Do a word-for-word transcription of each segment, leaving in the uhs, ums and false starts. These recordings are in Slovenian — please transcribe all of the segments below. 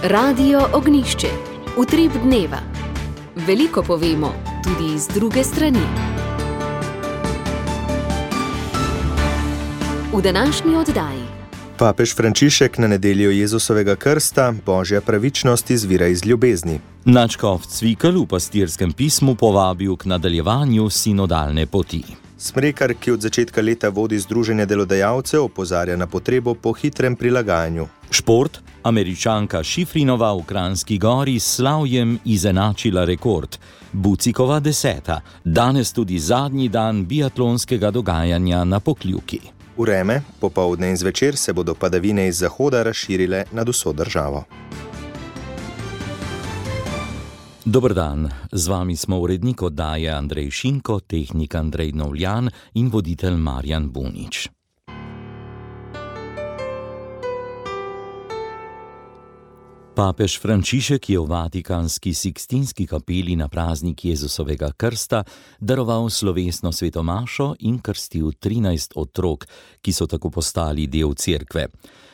Radio Ognišče, utrip dneva. Veliko povemo, tudi z druge strani. V današnji oddaji. Papež Frančišek na nedeljo Jezusovega krsta, Božja pravičnost izvira iz ljubezni. Nadškof Cvikl v pastirskem pismu povabil k nadaljevanju sinodalne poti. Smrekar, ki od začetka leta vodi Združenje delodajalcev, opozarja na potrebo po hitrem prilagajanju. Šport. Američanka Šifrinova v Kranjski Gori s slavjem izenačila rekord. Bucikova deseta. Danes tudi zadnji dan biatlonskega dogajanja na Pokljuki. Vreme, popoldne in zvečer se bodo padavine iz zahoda razširile nad vso državo. Dober dan, z vami smo urednik oddaje Andrej Šinko, tehnik Andrej Novljan in voditelj Marjan Bunič. Papež Frančišek je v vatikanski Sikstinski kapeli na praznik Jezusovega krsta daroval slovesno svetomašo in krstil trinajst otrok, ki so tako postali del cerkve.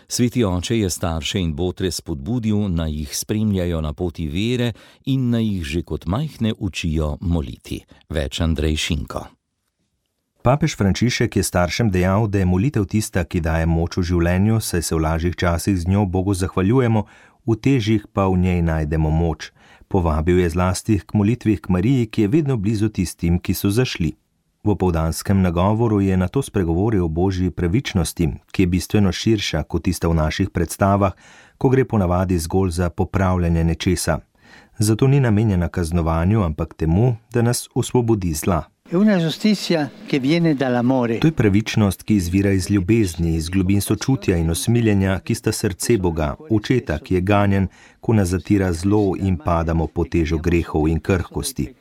Sveti oče je starše in botre spodbudil, naj jih spremljajo na poti vere in naj jih že kot majhne učijo moliti. Več Andrej Šinko. Papež Frančišek je staršem dejal, da je molitev tista, ki daje moč v življenju, saj se v lažjih časih z njo Bogu zahvaljujemo, v težjih pa v njej najdemo moč. Povabil je zlasti k molitvi k Mariji, ki je vedno blizu tistim, ki so zašli. V opoldanskem nagovoru je nato spregovoril o Božji pravičnosti, ki je bistveno širša kot tista v naših predstavah, ko gre ponavadi zgolj za popravljanje nečesa. Zato ni namenjena kaznovanju, ampak temu, da nas osvobodi zla. To je pravičnost, ki izvira iz ljubezni, iz globin sočutja in osmiljenja, ki sta srce Boga, očeta, ki je ganjen, ko nas zatira zlo in padamo pod težo grehov in krhkosti.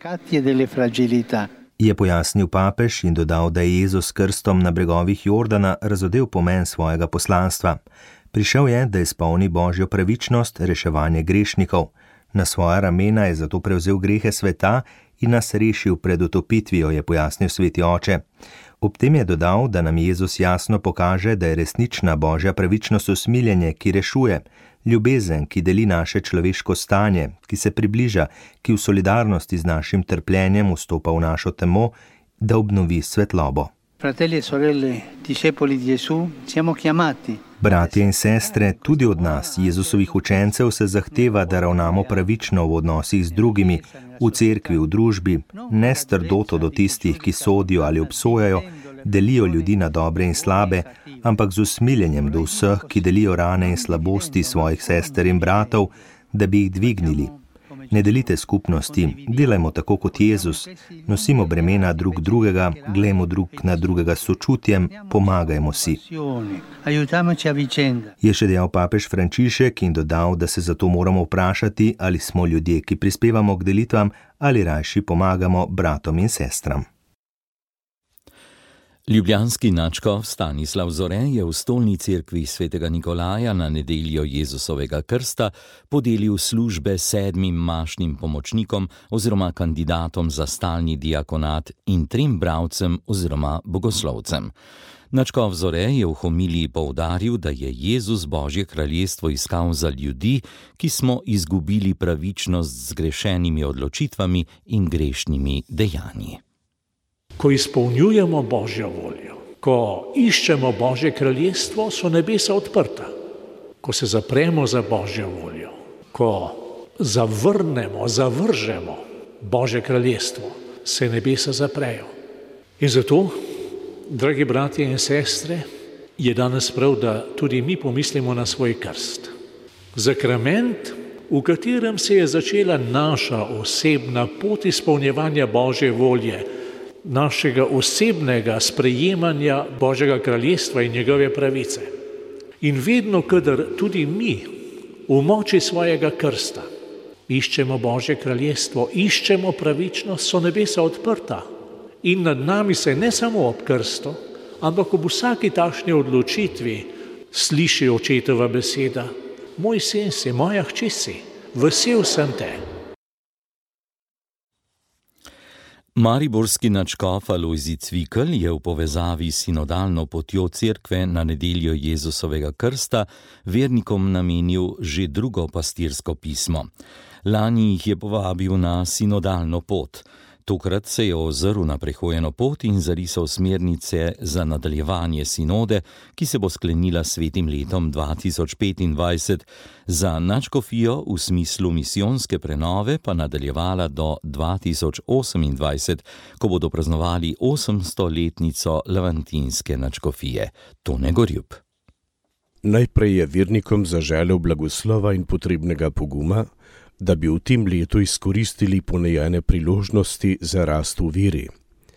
Je pojasnil papež in dodal, da je Jezus s krstom na bregovih Jordana razodel pomen svojega poslanstva. Prišel je, da izpolni Božjo pravičnost, reševanje grešnikov. Na svoja ramena je zato prevzel grehe sveta in nas rešil pred utopitvijo, je pojasnil sveti oče. Ob tem je dodal, da nam Jezus jasno pokaže, da je resnična Božja pravičnost usmiljenje, ki rešuje, ljubezen, ki deli naše človeško stanje, ki se približa, ki v solidarnosti z našim trpljenjem vstopa v našo temo, da obnovi svetlobo. Fratelli e sorelle, discepoli di Gesù, siamo chiamati. Bratje in sestre, tudi od nas, Jezusovih učencev, se zahteva, da ravnamo pravično v odnosih z drugimi, v cerkvi, v družbi, ne s trdoto do tistih, ki sodijo ali obsojajo, delijo ljudi na dobre in slabe, ampak z usmiljenjem do vseh, ki delijo rane in slabosti svojih sester in bratov, da bi jih dvignili. Ne delite skupnosti, delajmo tako kot Jezus, nosimo bremena drug drugega, glejmo drug na drugega s sočutjem, pomagajmo si. Je še dejal papež Frančišek in dodal, da se zato moramo vprašati, ali smo ljudje, ki prispevamo k delitvam, ali rajši pomagamo bratom in sestram. Ljubljanski nadškof Stanislav Zore je v stolni cerkvi svetega Nikolaja na nedeljo Jezusovega krsta podelil službe sedmim mašnim pomočnikom oziroma kandidatom za stalni diakonat in trem bralcem oziroma bogoslovcem. Nadškof Zore je v homiliji poudaril, da je Jezus Božje kraljestvo iskal za ljudi, ki smo izgubili pravičnost z zgrešenimi odločitvami in grešnimi dejanji. Ko izpolnjujemo Božjo voljo, ko iščemo Božje kraljestvo, so nebesa odprta. Ko se zapremo za Božjo voljo, ko zavrnemo, zavržemo Božje kraljestvo, se nebesa zaprejo. In zato, dragi bratje in sestre, je danes prav, da tudi mi pomislimo na svoj krst. Zakrament, v katerem se je začela naša osebna pot izpolnjevanja Božje volje, našega osebnega sprejemanja Božjega kraljestva in njegove pravice. In vedno, kadar tudi mi v moči svojega krsta iščemo Božje kraljestvo, iščemo pravičnost, so nebesa odprta. In nad nami se ne samo ob krstu, ampak ob vsaki takšni odločitvi sliši očetova beseda: moj sin si, moja hči si, vesel sem te. Mariborski nadškof Alojzij Cvikl je v povezavi s sinodalno potjo cerkve na nedeljo Jezusovega krsta vernikom namenil že drugo pastirsko pismo. Lani jih je povabil na sinodalno pot. Tokrat se je ozrl na prehojeno pot in zarisal smernice za nadaljevanje sinode, ki se bo sklenila s svetim letom dva tisoč petindvajset, za nadškofijo v smislu misijonske prenove pa nadaljevala do dva tisoč osemindvajset, ko bodo praznovali osemstoletnico levantinske nadškofije. Tone Gorjup. Najprej je vernikom zaželel blagoslova in potrebnega poguma, da bi v tem letu izkoristili ponujene priložnosti za rast v veri.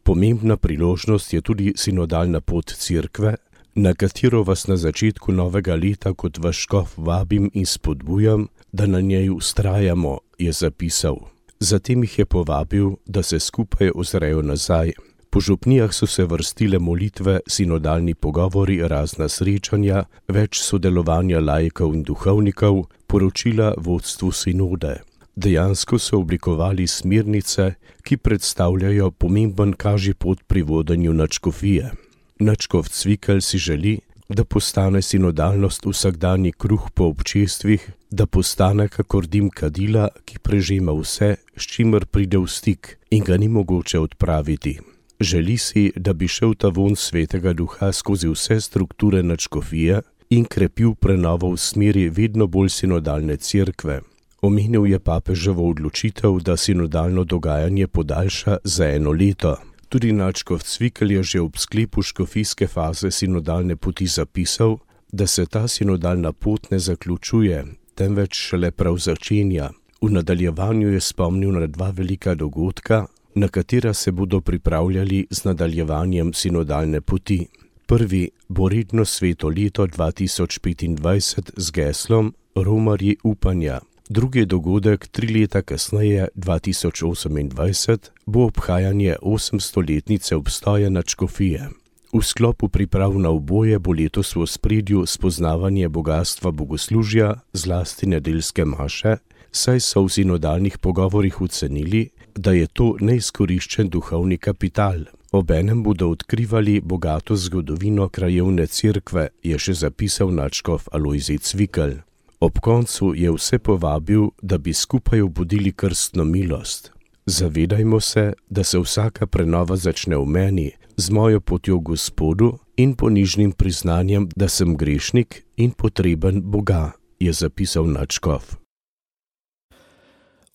Pomembna priložnost je tudi sinodalna pot cerkve, na katero vas na začetku novega leta kot vaš škof vabim in spodbujam, da na njej vztrajamo, je zapisal. Zatem jih je povabil, da se skupaj ozrejo nazaj. Po župnijah so se vrstile molitve, sinodalni pogovori, razna srečanja, več sodelovanja laikov in duhovnikov, poročila vodstvu sinode. Dejansko so oblikovali smernice, ki predstavljajo pomemben kažipot pri vodenju nadškofije. Nadškof Cvikl si želi, da postane sinodalnost vsakdanji kruh po občestvih, da postane kakor dim kadila, ki prežema vse, s čimer pride v stik in ga ni mogoče odpraviti. Želi si, da bi šel ta vonj svetega duha skozi vse strukture nadškofije in krepil prenovo v smeri vedno bolj sinodalne cerkve. Omenil je papeževo odločitev, da sinodalno dogajanje podaljša za eno leto. Tudi nadškof Cvikl je že ob sklepu škofijske faze sinodalne poti zapisal, da se ta sinodalna pot ne zaključuje, temveč šele prav začenja. V nadaljevanju je spomnil na dva velika dogodka, na katera se bodo pripravljali z nadaljevanjem sinodalne poti. Prvi bo redno sveto leto dva tisoč petindvajset z geslom Romarji upanja. Drugi dogodek, tri leta kasneje, dva tisoč osemindvajset, bo obhajanje osemstoletnice obstoja nadškofije. V sklopu priprav na oboje bo letos v ospredju spoznavanje bogastva bogoslužja, zlasti nedeljske maše, saj so v sinodalnih pogovorih ocenili, da je to neizkoriščen duhovni kapital. Obenem bodo odkrivali bogato zgodovino krajevne cerkve, je še zapisal nadškof Alojzij Cvikl. Ob koncu je vse povabil, da bi skupaj obudili krstno milost. Zavedajmo se, da se vsaka prenova začne v meni, z mojo potjo Gospodu in ponižnim priznanjem, da sem grešnik in potreben Boga, je zapisal nadškof.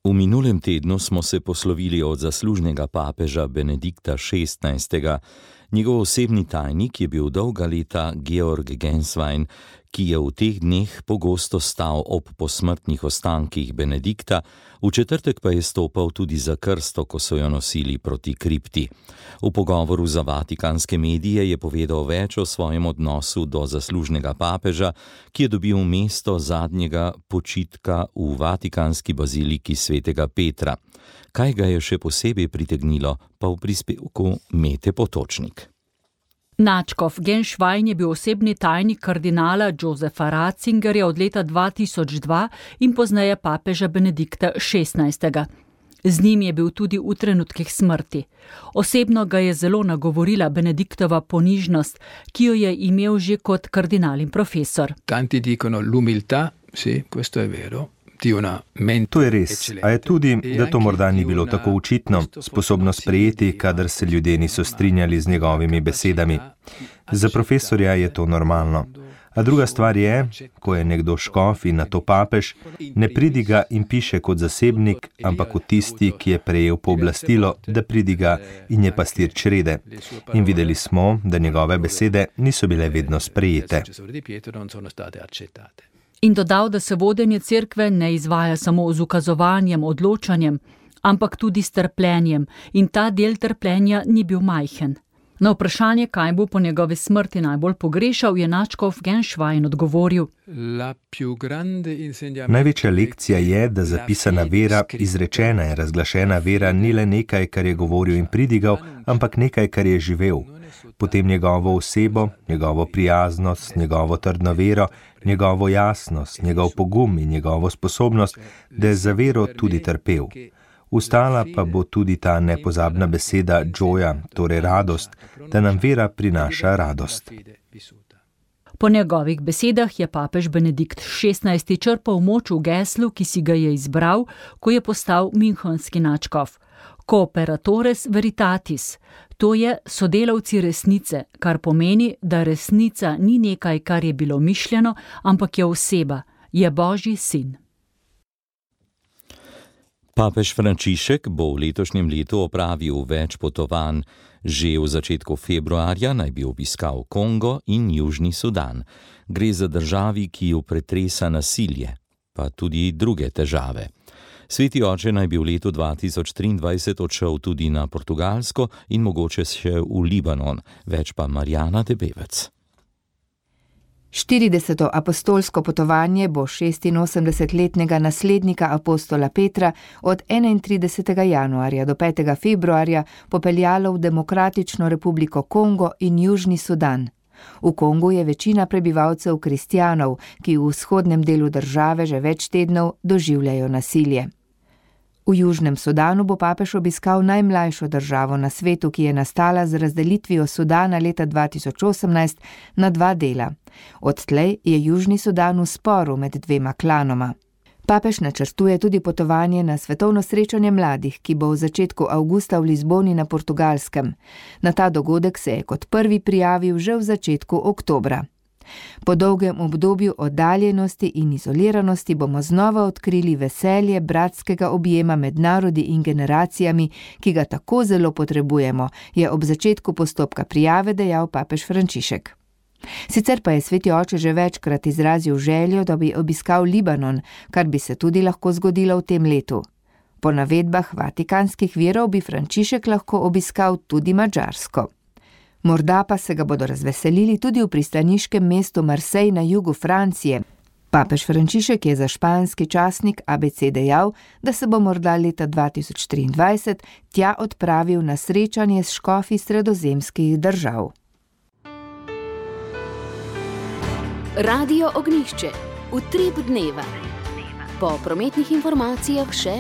V minulem tednu smo se poslovili od zaslužnega papeža Benedikta šestnajstega. Njegov osebni tajnik je bil dolga leta Georg Genswein, ki je v teh dneh pogosto stal ob posmrtnih ostankih Benedikta, v četrtek pa je stopal tudi za krsto, ko so jo nosili proti kripti. V pogovoru za vatikanske medije je povedal več o svojem odnosu do zaslužnega papeža, ki je dobil mesto zadnjega počitka v vatikanski baziliki svetega Petra. Kaj ga je še posebej pritegnilo, pa v prispevku Mete Potočnik. Nadškof Genswein je bil osebni tajnik kardinala Josefa Ratzingerja od leta dva tisoč dva in pozneje papeža Benedikta šestnajstega. Z njim je bil tudi v trenutkih smrti. Osebno ga je zelo nagovorila Benediktova ponižnost, ki jo je imel že kot kardinal in profesor. Tanti dicono l'umiltà, sì, questo è vero. To je res, a je tudi, da to morda ni bilo tako očitno, sposobno sprejeti, kadar se ljudje niso strinjali z njegovimi besedami. Za profesorja je to normalno. A druga stvar je, ko je nekdo škof in nato papež, ne pridiga in piše kot zasebnik, ampak kot tisti, ki je prejel pooblastilo, da pridiga in je pastir črede. In videli smo, da njegove besede niso bile vedno sprejete. In dodal, da se vodenje cerkve ne izvaja samo z ukazovanjem, odločanjem, ampak tudi s trpljenjem, in ta del trpljenja ni bil majhen. Na vprašanje, kaj bo po njegovi smrti najbolj pogrešal, je nadškof Genswein odgovoril: Največja lekcija je, da zapisana vera, izrečena in razglašena vera ni le nekaj, kar je govoril in pridigal, ampak nekaj, kar je živel. Potem njegovo osebo, njegovo prijaznost, njegovo trdno vero, njegovo jasnost, njegov pogum in njegovo sposobnost, da je za vero tudi trpel. Ustala pa bo tudi ta nepozabna beseda joja, torej radost, da nam vera prinaša radost. Po njegovih besedah je papež Benedikt šestnajsti črpal moč v geslu, ki si ga je izbral, ko je postal münchenski nadškof. Cooperatores veritatis, to je sodelavci resnice, kar pomeni, da resnica ni nekaj, kar je bilo mišljeno, ampak je oseba, je Božji sin. Papež Frančišek bo v letošnjem letu opravil več potovanj. Že v začetku februarja naj bi obiskal Kongo in Južni Sudan. Gre za državi, ki jo pretresa nasilje, pa tudi druge težave. Sveti oče naj bi v letu dva tisoč triindvajset odšel tudi na Portugalsko in mogoče še v Libanon, več pa Marjana Debevec. štirideseto apostolsko potovanje bo šestinosemdesetletnega naslednika apostola Petra od enaintridesetega januarja do petega februarja popeljalo v Demokratično republiko Kongo in Južni Sudan. V Kongu je večina prebivalcev kristjanov, ki v vzhodnem delu države že več tednov doživljajo nasilje. V Južnem Sudanu bo papež obiskal najmlajšo državo na svetu, ki je nastala z razdelitvijo Sudana leta dva tisoč osemnajst na dva dela. Odtlej je Južni Sudan v sporu med dvema klanoma. Papež načrtuje tudi potovanje na svetovno srečanje mladih, ki bo v začetku avgusta v Lizboni na Portugalskem. Na ta dogodek se je kot prvi prijavil že v začetku oktobra. Po dolgem obdobju oddaljenosti in izoliranosti bomo znova odkrili veselje bratskega objema med narodi in generacijami, ki ga tako zelo potrebujemo, je ob začetku postopka prijave dejal papež Frančišek. Sicer pa je sveti oče že večkrat izrazil željo, da bi obiskal Libanon, kar bi se tudi lahko zgodilo v tem letu. Po navedbah vatikanskih virov bi Frančišek lahko obiskal tudi Madžarsko. Morda pa se ga bodo razveselili tudi v pristaniškem mestu Marseille na jugu Francije. Papež Frančišek je za španski časnik A B C dejal, da se bo morda leta dva tisoč triindvajset tja odpravil na srečanje s škofi sredozemskih držav. Radio Ognjišče, utrip dneva. Po prometnih informacijah še: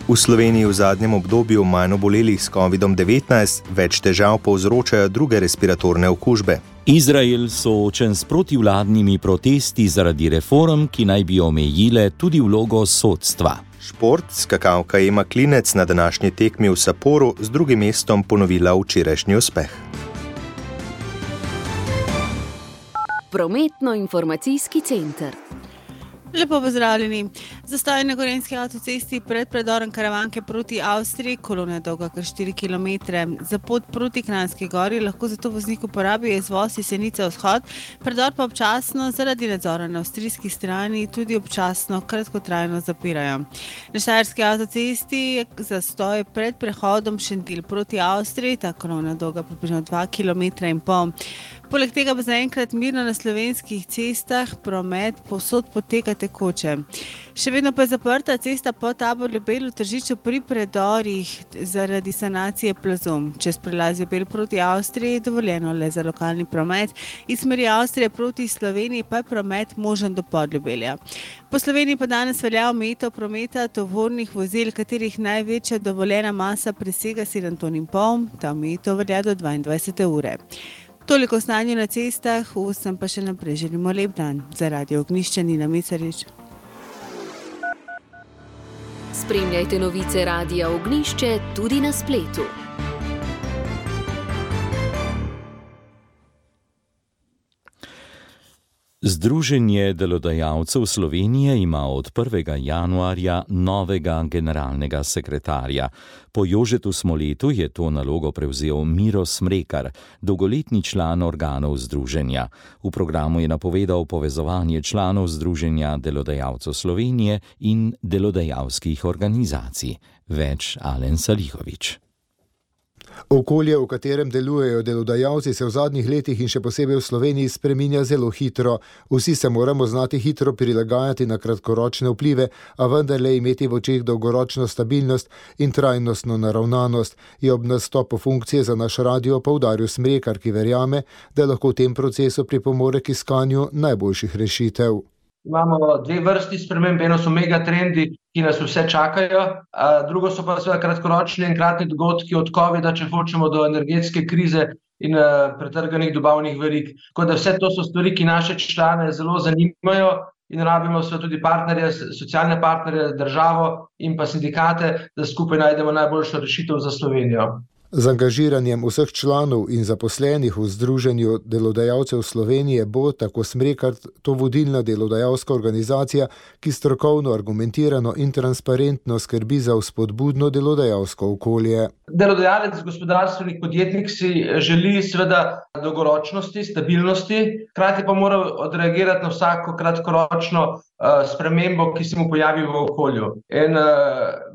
v Sloveniji v zadnjem obdobju manj obolelih s kovidom devetnajst, več težav povzročajo druge respiratorne okužbe. Izrael soočen s protivladnimi protesti zaradi reform, ki naj bi omejile tudi vlogo sodstva. Šport, skakalka Ema Klinec na današnji tekmi v Saporu z drugim mestom ponovila včerajšnji uspeh. Prometno-informacijski center. Lepo pozdravljeni. Zastoj na Gorenjski avtocesti pred predorom Karavanke proti Avstriji, kolona je dolga kar štiri kilometre. Za pot proti Kranjski gori lahko zato voznik uporabijo izvoz iz Senice vzhod, predor pa občasno zaradi nadzora na avstrijski strani tudi občasno kratkotrajno zapirajo. Na Štajerski avtocesti je zastoj pred prehodom Šentilj proti Avstriji, ta kolona je dolga približno dva kilometra in pol. Poleg tega pa zaenkrat mirno na slovenskih cestah promet povsod poteka tekoče. Še vedno pa je zaprta cesta po Taboru Ljubelj v Tržiču pri predorih zaradi sanacije plazu. Čez prelaz Ljubelj proti Avstriji je dovoljeno le za lokalni promet, iz smeri Avstrije proti Sloveniji pa je promet možen do Podljubelja. Po Sloveniji pa danes velja omejitev prometa tovornih vozil, katerih največja dovoljena masa presega sedem ton in pol, ta omejitev velja do dvaindvajsete ure. Toliko o stanju na cestah, vsem pa še naprej želimo lep dan. Za Radio Ognjišče Nina Mesarič. Spremljajte novice Radia Ognjišče tudi na spletu. Združenje delodajalcev Slovenije ima od prvega januarja novega generalnega sekretarja. Po Jožetu Smoletu je to nalogo prevzel Miro Smrekar, dolgoletni član organov združenja. V programu je napovedal povezovanje članov Združenja delodajalcev Slovenije in delodajalskih organizacij. Več Alen Salihovič. Okolje, v katerem delujejo delodajalci, se v zadnjih letih in še posebej v Sloveniji spreminja zelo hitro. Vsi se moramo znati hitro prilagajati na kratkoročne vplive, a vendarle imeti v očeh dolgoročno stabilnost in trajnostno naravnanost, je ob nastopu funkcije za naš radio poudaril Smrekar, ki verjame, da lahko v tem procesu pripomore k iskanju najboljših rešitev. imamo dve vrsti sprememb, eno so megatrendi, ki nas vse čakajo, drugo so pa seveda kratkoročni enkratni dogodki od covida, če hočemo, do energetske krize in pretrganih dobavnih verig. Tako da vse to so stvari, ki naše člane zelo zanimajo in rabimo seveda tudi partnerje, socialne partnerje, državo in pa sindikate, da skupaj najdemo najboljšo rešitev za Slovenijo. Z angažiranjem vseh članov in zaposlenih v Združenju delodajalcev Slovenije bo, tako Smrekar, to vodilna delodajalska organizacija, ki strokovno, argumentirano in transparentno skrbi za vzpodbudno delodajalsko okolje. Delodajalec, gospodarstvenik, podjetnik si želi seveda dolgoročnosti, stabilnosti, hkrati pa mora odreagirati na vsako kratkoročno uh, spremembo, ki se mu pojavi v okolju. In uh,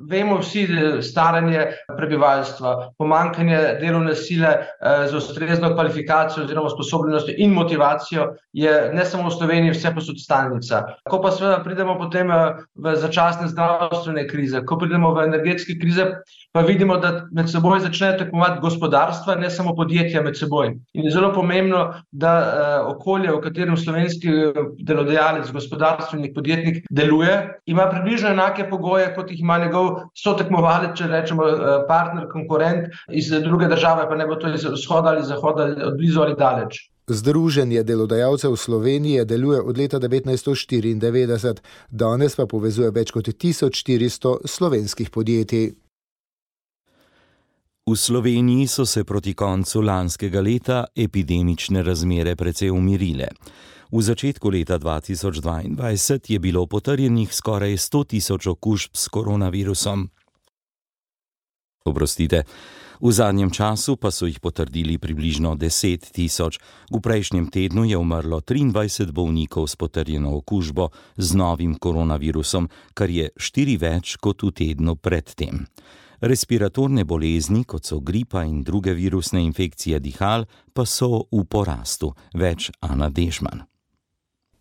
vemo vsi staranje prebivalstva, pomanjkanje delovne sile uh, z ustrezno kvalifikacijo oziroma sposobnostjo in motivacijo je ne samo v Sloveniji, vse posod stalnica. Ko pa seveda pridemo potem v začasne zdravstvene krize, ko pridemo v energetske krize, pa vidimo, da med seboj začnejo tekmovati gospodarstva, ne samo podjetja med seboj. In je zelo pomembno, da uh, okolje, v katerem slovenski delodajalec, gospodarstvenik, podjetnik deluje, ima približno enake pogoje, kot jih ima njegov sotekmovalec, če rečemo partner, konkurent iz druge države, pa ne bo to iz vzhoda ali zahoda, od blizu ali daleč. Združenje delodajalcev Slovenije deluje od leta devetnajststo štiriindevetdeset, danes pa povezuje več kot tisoč štiristo slovenskih podjetij. V Sloveniji so se proti koncu lanskega leta epidemične razmere precej umirile. V začetku leta dva tisoč dvaindvajset je bilo potrjenih skoraj sto tisoč okužb s koronavirusom. Oprostite, v zadnjem času pa so jih potrdili približno deset tisoč. V prejšnjem tednu je umrlo triindvajset bolnikov s potrjeno okužbo z novim koronavirusom, kar je štiri več kot v tednu predtem. Respiratorne bolezni, kot so gripa in druge virusne infekcije dihal, pa so v porastu. Več Ana Dežman.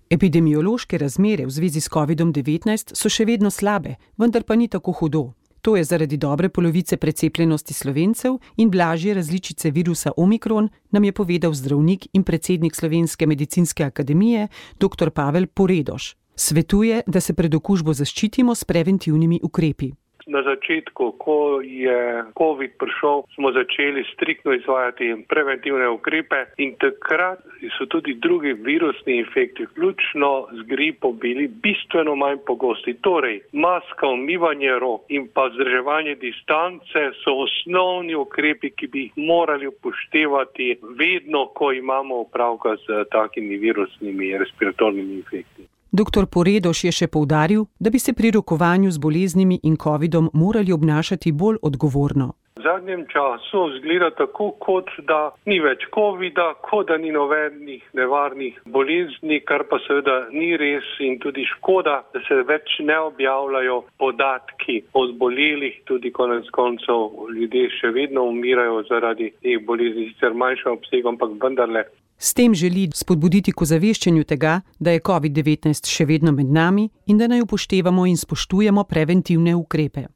Epidemiološke razmere v zvezi s kovidom devetnajst so še vedno slabe, vendar pa ni tako hudo. To je zaradi dobre polovice precepljenosti Slovencev in blažje različice virusa Omikron, nam je povedal zdravnik in predsednik Slovenske medicinske akademije dr. Pavel Poredoš. Svetuje, da se pred okužbo zaščitimo s preventivnimi ukrepi. Na začetku, ko je covid prišel, smo začeli striktno izvajati preventivne ukrepe in takrat so tudi drugi virusni infekti, vključno z gripo, bili bistveno manj pogosti. Torej, maska, umivanje rok in pa vzdrževanje distance so osnovni ukrepi, ki bi jih morali upoštevati vedno, ko imamo opravka z takimi virusnimi respiratornimi infekti. Doktor Poredoš je še poudaril, da bi se pri rokovanju z boleznimi in covidom morali obnašati bolj odgovorno. V zadnjem času izgleda tako, kot da ni več covida, kot da ni nobenih nevarnih bolezni, kar pa seveda ni res in tudi škoda, da se več ne objavljajo podatki o zbolelih, tudi konec koncev ljudje še vedno umirajo zaradi teh bolezni, sicer manjšem obsegu, ampak vendarle. S tem želi spodbuditi k ozaveščanju tega, da je covid devetnajst še vedno med nami in da naj upoštevamo in spoštujemo preventivne ukrepe.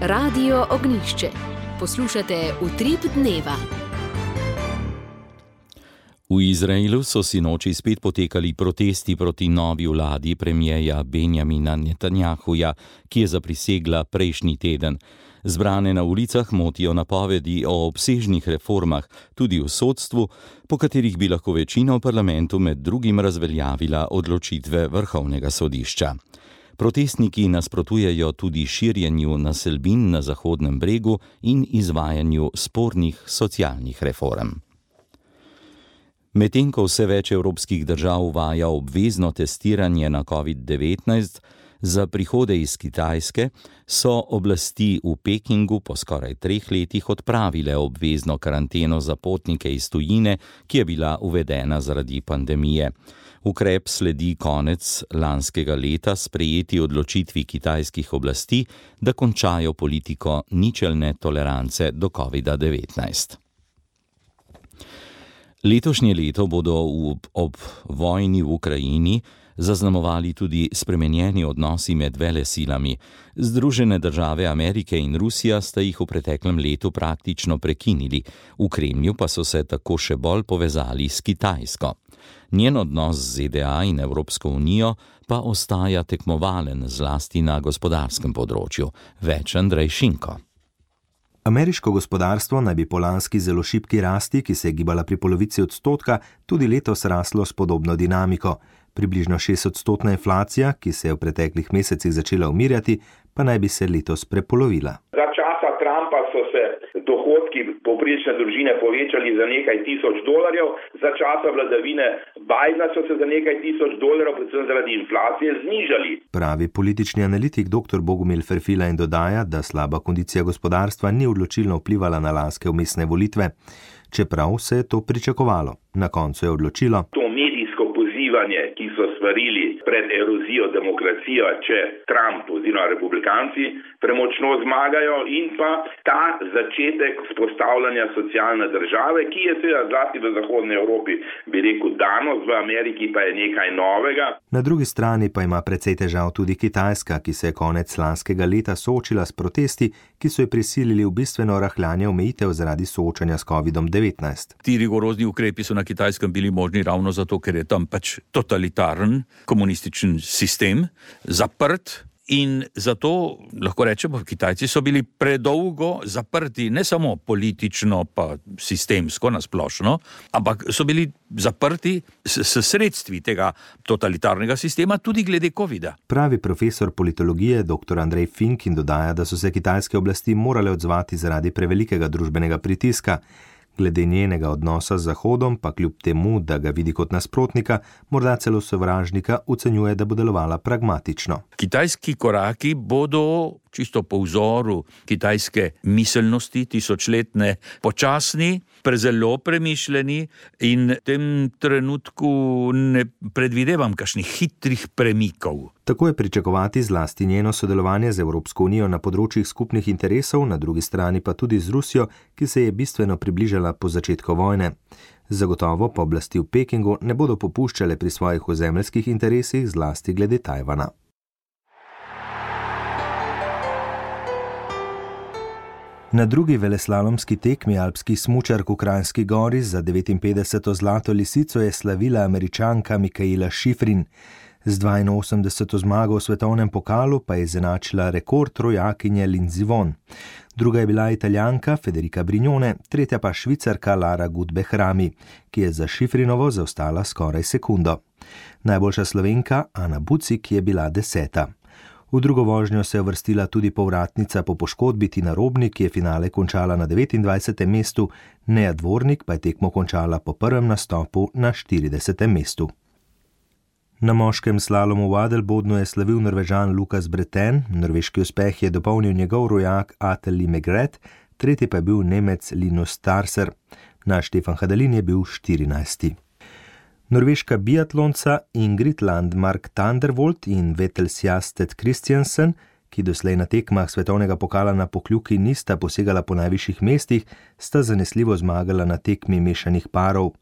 Radio Ognjišče. Poslušate Utrip dneva. V Izraelu so sinoči spet potekali protesti proti novi vladi premierja Benjamina Netanjahuja, ki je zaprisegla prejšnji teden. Zbrane na ulicah motijo napovedi o obsežnih reformah, tudi v sodstvu, po katerih bi lahko večina v parlamentu med drugim razveljavila odločitve Vrhovnega sodišča. Protestniki nasprotujejo tudi širjenju naselbin na Zahodnem bregu in izvajanju spornih socialnih reform. Medtem ko vse več evropskih držav uvaja obvezno testiranje na covid devetnajst, za prihode iz Kitajske so oblasti v Pekingu po skoraj treh letih odpravile obvezno karanteno za potnike iz tujine, ki je bila uvedena zaradi pandemije. Ukrep sledi konec lanskega leta sprejeti odločitvi kitajskih oblasti, da končajo politiko ničelne tolerance do covid devetnajst. Letošnje leto bodo v, ob vojni v Ukrajini zaznamovali tudi spremenjeni odnosi med velesilami. Združene države Amerike in Rusija sta jih v preteklem letu praktično prekinili, v Kremlju pa so se tako še bolj povezali s Kitajsko. Njen odnos z Z D A in Evropsko unijo pa ostaja tekmovalen zlasti na gospodarskem področju. Več Andrej Šinko. Ameriško gospodarstvo naj bi po lanski zelo šibki rasti, ki se je gibala pri polovici odstotka, tudi letos raslo s podobno dinamiko. Približno šestodstotna inflacija, ki se je v preteklih mesecih začela umirjati, pa naj bi se letos prepolovila. Za časa Trumpa so se dohodki povprečne družine povečali za nekaj tisoč dolarjev, za časa vladavine Bidena so se za nekaj tisoč dolarjev, predvsem zaradi inflacije, znižali. Pravi politični analitik dr. Bogomil Ferfila in dodaja, da slaba kondicija gospodarstva ni odločilno vplivala na lanske vmesne volitve, čeprav se je to pričakovalo. Na koncu je odločilo to medijsko pozivanje, ki so svarili pred erozijo demokracije, če Trump oziroma republikanci premočno zmagajo, in pa ta začetek vzpostavljanja socialne države, ki je seveda zlasti v zahodni Evropi, bi rekel, danost, v Ameriki pa je nekaj novega. Na drugi strani pa ima precej težav tudi Kitajska, ki se je konec lanskega leta soočila s protesti, ki so jo prisilili v bistveno rahljanje omejitev zaradi soočanja s kovidom devetnajst. Ti rigorozni ukrepi so na Kitajskem bili možni ravno zato, ker je tam pač totalitaren komunističen sistem, zaprt. In zato lahko rečemo, Kitajci so bili predolgo zaprti, ne samo politično pa sistemsko nasplošno, ampak so bili zaprti s, s sredstvi tega totalitarnega sistema tudi glede covida. Pravi profesor politologije dr. Andrej Fink in dodaja, da so se kitajske oblasti morale odzvati zaradi prevelikega družbenega pritiska. Glede njenega odnosa z Zahodom pa kljub temu, da ga vidi kot nasprotnika, morda celo sovražnika, ocenjuje, da bo delovala pragmatično. Kitajski koraki bodo čisto po vzoru kitajske miselnosti tisočletne počasni, prezelo premišljeni in v tem trenutku ne predvidevam kakšnih hitrih premikov. Tako je pričakovati zlasti njeno sodelovanje z Evropsko unijo na področjih skupnih interesov, na drugi strani pa tudi z Rusijo, ki se je bistveno približala po začetku vojne. Zagotovo pa oblasti v Pekingu ne bodo popuščale pri svojih ozemeljskih interesih, zlasti glede Tajvana. Na drugi veleslalomski tekmi alpskih smučark v Kranjski Gori za devetinpetdeseto zlato lisico je slavila Američanka Mikaela Shiffrin. Z dvainosemdeseto zmago v svetovnem pokalu pa je izenačila rekord rojakinje Lindsey Vonn. Druga je bila Italijanka Federica Brignone, tretja pa Švicarka Lara Gut-Behrami, ki je za Shiffrinovo zaostala skoraj sekundo. Najboljša Slovenka Ana Bucik je bila deseta. V drugo vožnjo se je uvrstila tudi povratnica po poškodbi Tina Robnik, ki je finale končala na devetindvajsetem mestu, Neja Dvornik pa je tekmo končala po prvem nastopu na štiridesetem mestu. Na moškem slalomu v Adelbodnu je slavil Norvežan Lukas Breten, norveški uspeh je dopolnil njegov rojak Ateli Megret, tretji pa je bil Nemec Linus Starser. Naš Štefan Hadalin je bil štirinajsti. Norveška biatlonca Ingrid Landmark Thunderbolt in Vettel Sjasted Christiansen, ki doslej na tekmah svetovnega pokala na Pokljuki nista posegala po najvišjih mestih, sta zanesljivo zmagala na tekmi mešanih parov.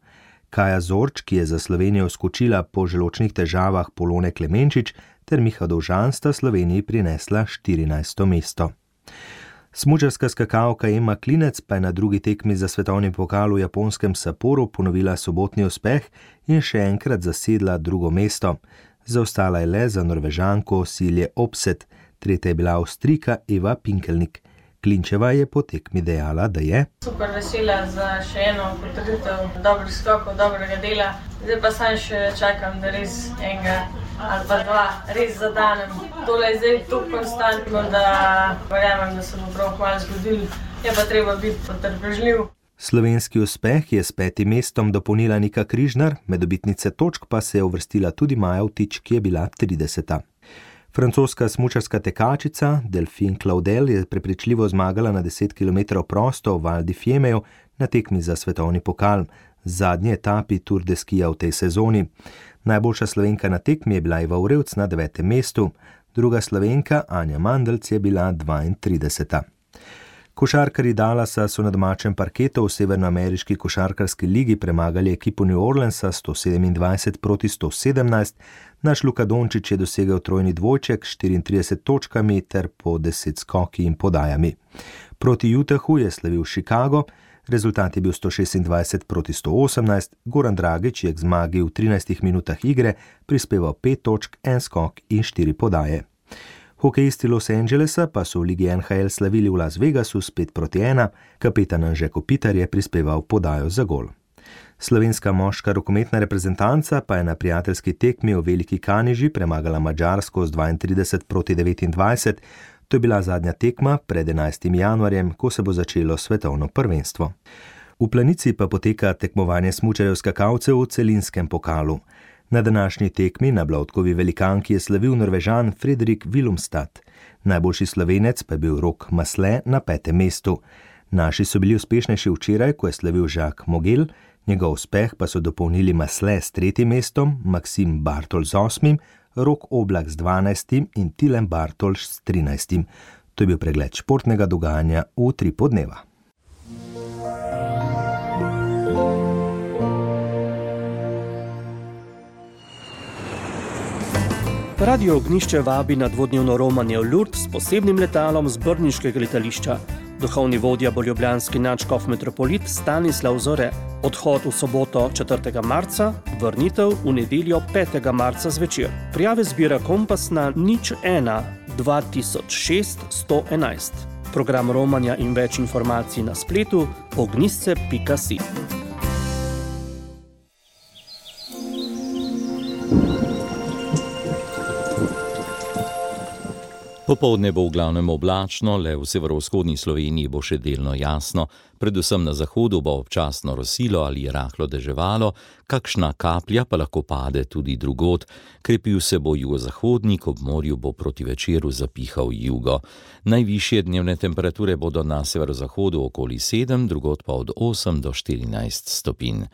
Kaja Zorč, ki je za Slovenijo skočila po želočnih težavah Polone Klemenčič, ter Miha Dovžan sta Sloveniji prinesla štirinajsto mesto. Smučarska skakalka Ema Klinec pa je na drugi tekmi za svetovni pokal v japonskem Sapporu ponovila sobotni uspeh in še enkrat zasedla drugo mesto. Zaostala je le za Norvežanko Silje Opset, tretja je bila Avstrijka Eva Pinkelnik. Klinčeva je po tekmi dejala, da je super vesela za še eno potrditev dobrih skokov, dobrega dela. Zdaj pa sam še čakam, da res enega ali pa dva res zadanem. Tole je zdaj tu konstantno, da verjamem, da se bo prav kmalu zgodilo. Je pa treba biti potrpežljiv. Slovenski uspeh je s petim mestom dopolnila Nika Križnar, med dobitnice točk pa se je uvrstila tudi Maja Vtič, ki je bila trideseta. Francoska smučarska tekačica Delphine Claudel je prepričljivo zmagala na deset kilometrov prosto v Val di Fiemeju na tekmi za svetovni pokal, zadnji etapi Tour de Skija v tej sezoni. Najboljša Slovenka na tekmi je bila Eva Urevc na devetem mestu, druga Slovenka Anja Mandelc je bila dvaintrideseta. Košarkarji Dallasa so na domačem parketu v severnoameriški košarkarski ligi premagali ekipo New Orleansa sto sedemindvajset proti sto sedemnajst. Naš Luka Dončić je dosegel trojni dvojček s štiriintrideset točkami ter po deset skoki in podajami. Proti Utahu je slavil Chicago, Rezultat je bil sto šestindvajset proti sto osemnajst, Goran Dragić je k zmagi v trinajstih minutah igre prispeval pet točk, en skok in štiri podaje. Hokejisti Los Angelesa pa so v ligi N H L slavili v Las Vegasu s pet proti ena, kapetan Anže Kopitar je prispeval podajo za gol. Slovenska moška rokometna reprezentanca pa je na prijateljski tekmi v Veliki Kaniži premagala Madžarsko z dvaintrideset proti devetindvajset. To je bila zadnja tekma pred enajstim januarjem, ko se bo začelo svetovno prvenstvo. V Planici pa poteka tekmovanje smučarjev skakalcev v celinskem pokalu. Na današnji tekmi na Blautkovi velikanki je slavil Norvežan Fredrik Willumstad. Najboljši Slovenec pa je bil Rok Masle na petem mestu. Naši so bili uspešnejši včeraj, ko je slavil Jacques Mogel, njegov uspeh pa so dopolnili Masle s tretjim mestom, Maksim Bartol z osmim, Rok Oblak z dvanajstim in Tilen Bartolš s trinajstim. To je bil pregled športnega dogajanja v tri podneva. Radio Ognjišče vabi na dvodnevno romanje v Lourdes s posebnim letalom z brniškega letališča. Duhovni vodja bo ljubljanski nadškof metropolit Stanislav Zore. Odhod v soboto četrtega marca, vrnitev v nedeljo petega marca zvečer. Prijave zbira Kompas na nič ena dva tisoč šest sto enajst. Program romanja in več informacij na spletu ognjisce pika si. Popoldne bo v glavnem oblačno, le v severovzhodni Sloveniji bo še delno jasno, predvsem na zahodu bo občasno rosilo ali rahlo deževalo, kakšna kaplja pa lahko pade tudi drugod, krepil se bo jugozahodnik, ob morju bo proti večeru zapihal jugo. Najvišje dnevne temperature bodo na severozahodu okoli sedem, drugod pa od osem do štirinajst stopinj.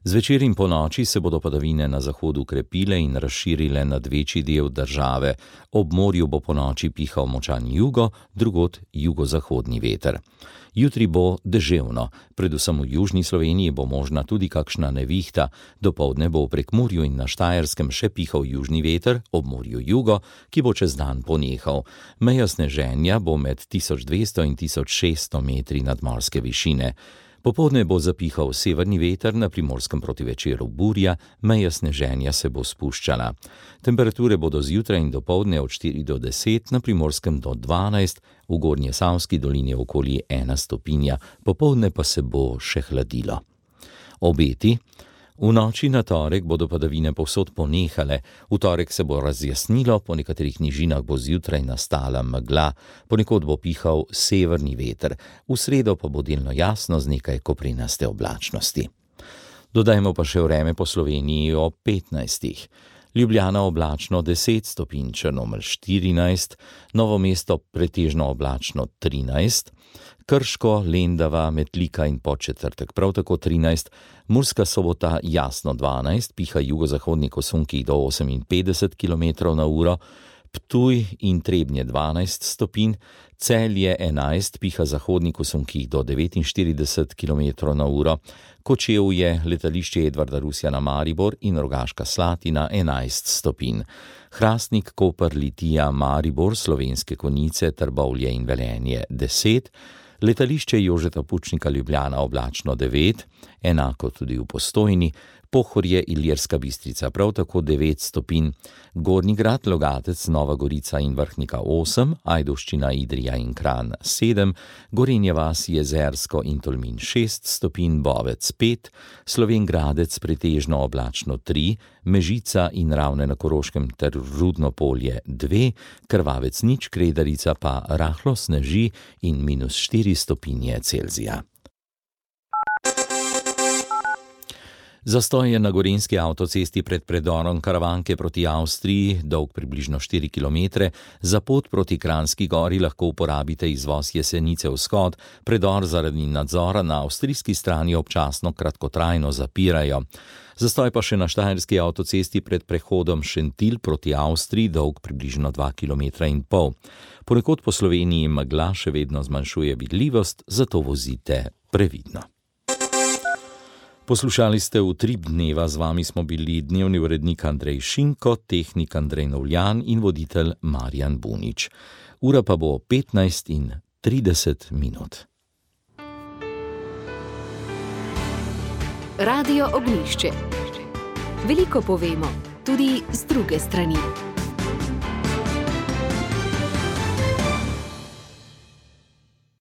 Zvečer in ponoči se bodo padavine na zahodu krepile in razširile nad večji del države. Ob morju bo ponoči pihal močan jugo, drugod jugozahodni veter. Jutri bo deževno, predvsem v južni Sloveniji bo možna tudi kakšna nevihta. Dopoldne bo v Prekmurju in na Štajerskem še pihal južni veter, ob morju jugo, ki bo čez dan ponehal. Meja sneženja bo med tisoč dvesto in tisoč šeststo metri nadmorske višine. Popoldne bo zapihal severni veter, na Primorskem proti večeru burja, meja sneženja se bo spuščala. Temperature bodo zjutraj in dopoldne od štiri do deset, na Primorskem do dvanajst, v Gornjesavski dolini okoli ena stopinja, popoldne pa se bo še hladilo. Obeti. V noči na torek bodo padavine povsod ponehale, v torek se bo razjasnilo, po nekaterih nižinah bo zjutraj nastala megla, ponekod bo pihal severni veter, v sredo pa bo delno jasno z nekaj koprenaste oblačnosti. Dodajmo pa še vreme po Sloveniji ob petnajstih. Ljubljana oblačno deset stopinj, Črnomelj štirinajst, Novo mesto pretežno oblačno trinajst, Krško, Lendava, Metlika in Podčetrtek prav tako trinajst, Murska Sobota jasno dvanajst, piha jugozahodni kosunkih do oseminpetdeset kilometrov na uro, Ptuj in Trebnje dvanajst stopinj, Celje enajst, piha zahodni kosunkih do devetinštirideset kilometrov na uro, Kočevje, letališče Edvarda Rusjana Maribor in Rogaška Slatina enajst stopinj. Hrastnik, Koper, Litija, Maribor, Slovenske Konjice, Trbovlje in Velenje deset, letališče Jožeta Pučnika Ljubljana oblačno devet, enako tudi v Postojni, Pohorje, Ilirska Bistrica prav tako devet stopinj, Gornji Grad, Logatec, Nova Gorica in Vrhnika osem, Ajdovščina, Idrija in Kranj sedem, Gorenja vas, Jezersko in Tolmin šest stopinj, Bovec pet, Slovenj Gradec pretežno oblačno tri, Mežica in Ravne na Koroškem ter Rudno Polje dve, Krvavec nič, Kredarica pa rahlo sneži in minus štiri stopinje Celzija. Zastoj je na gorenjski avtocesti pred predorom Karavanke proti Avstriji, dolg približno štiri kilometre. Za pot proti Kranjski gori lahko uporabite izvoz Jesenice vzhod, predor zaradi nadzora na avstrijski strani občasno kratkotrajno zapirajo. Zastoj pa še na štajerski avtocesti pred prehodom Šentilj proti Avstriji, dolg približno dva kilometra in pol. Ponekod po Sloveniji megla še vedno zmanjšuje vidljivost, zato vozite previdno. Poslušali ste Utrip dneva, z vami smo bili dnevni urednik Andrej Šinko, tehnik Andrej Novljan in voditelj Marjan Bunič. Ura pa bo petnajst in trideset minut. Radio Ognjišče. Veliko povemo, tudi z druge strani.